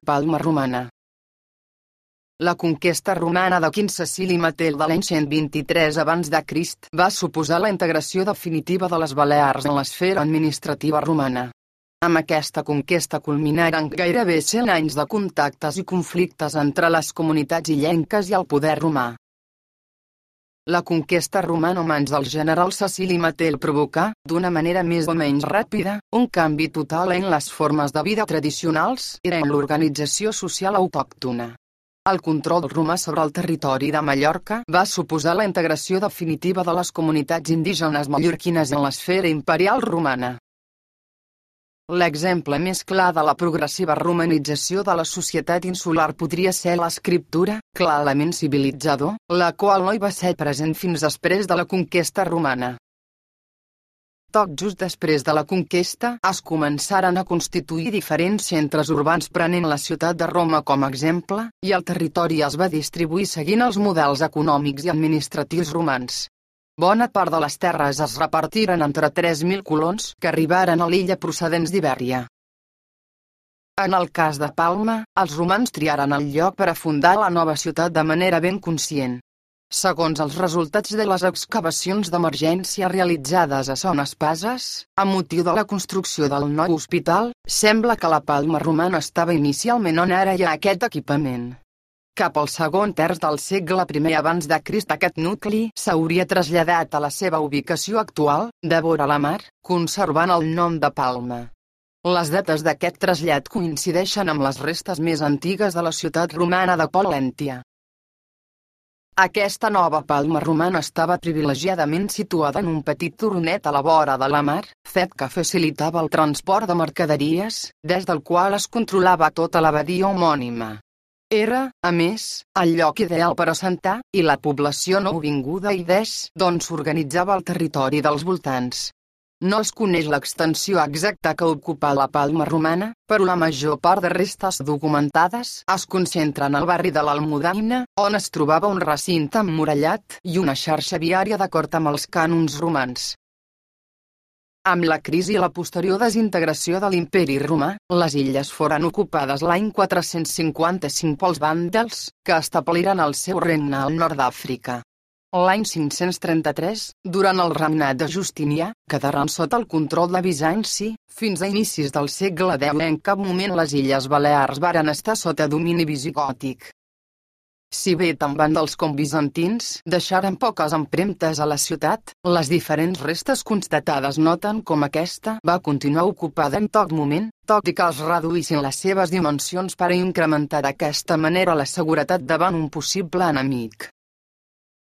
Palma romana. La conquesta romana de Quint Cecili Matel de l'any 123 abans de Crist va suposar la integració definitiva de les Balears en l'esfera administrativa romana. Amb aquesta conquesta culminaren gairebé 100 anys de contactes i conflictes entre les comunitats illenques i el poder romà. La conquesta romana a mans del general Cecili Matel provocà, d'una manera més o menys ràpida, un canvi total en les formes de vida tradicionals i en l'organització social autòctona. El control romà sobre el territori de Mallorca va suposar la integració definitiva de les comunitats indígenes mallorquines en l'esfera imperial romana. L'exemple més clar de la progressiva romanització de la societat insular podria ser l'escriptura, clarament civilitzador, la qual no hi va ser present fins després de la conquesta romana. Tot just després de la conquesta es començaren a constituir diferents centres urbans prenent la ciutat de Roma com a exemple, i el territori es va distribuir seguint els models econòmics i administratius romans. Bona part de les terres es repartiren entre 3.000 colons que arribaren a l'illa procedents d'Ibèria. En el cas de Palma, els romans triaren el lloc per a fundar la nova ciutat de manera ben conscient. Segons els resultats de les excavacions d'emergència realitzades a Son Espases, amb motiu de la construcció del nou hospital, sembla que la Palma romana estava inicialment on ara hi ha aquest equipament. Cap al segon terç del segle I abans de Crist aquest nucli s'hauria traslladat a la seva ubicació actual, de vora la mar, conservant el nom de Palma. Les dates d'aquest trasllat coincideixen amb les restes més antigues de la ciutat romana de Polèntia. Aquesta nova Palma romana estava privilegiadament situada en un petit turonet a la vora de la mar, fet que facilitava el transport de mercaderies, des del qual es controlava tota l'abadia homònima. Era, a més, el lloc ideal per assentar, i la població nouvinguda i d'on s'organitzava el territori dels voltants. No es coneix l'extensió exacta que ocupà la Palma romana, però la major part de restes documentades es concentren al barri de l'Almudaina, on es trobava un recinte emmurallat i una xarxa viària d'acord amb els cànons romans. Amb la crisi i la posterior desintegració de l'imperi romà, les illes foren ocupades l'any 455 pels vàndals, que establiren el seu regne al nord d'Àfrica. L'any 533, durant el regnat de Justinià, quedaren sota el control de Bizanci, fins a inicis del segle X en cap moment les Illes Balears varen estar sota domini visigòtic. Si bé tant vàndals com bizantins deixaren poques empremtes a la ciutat, les diferents restes constatades noten com aquesta va continuar ocupada en tot moment, tot i que es reduïssin les seves dimensions per a incrementar d'aquesta manera la seguretat davant un possible enemic.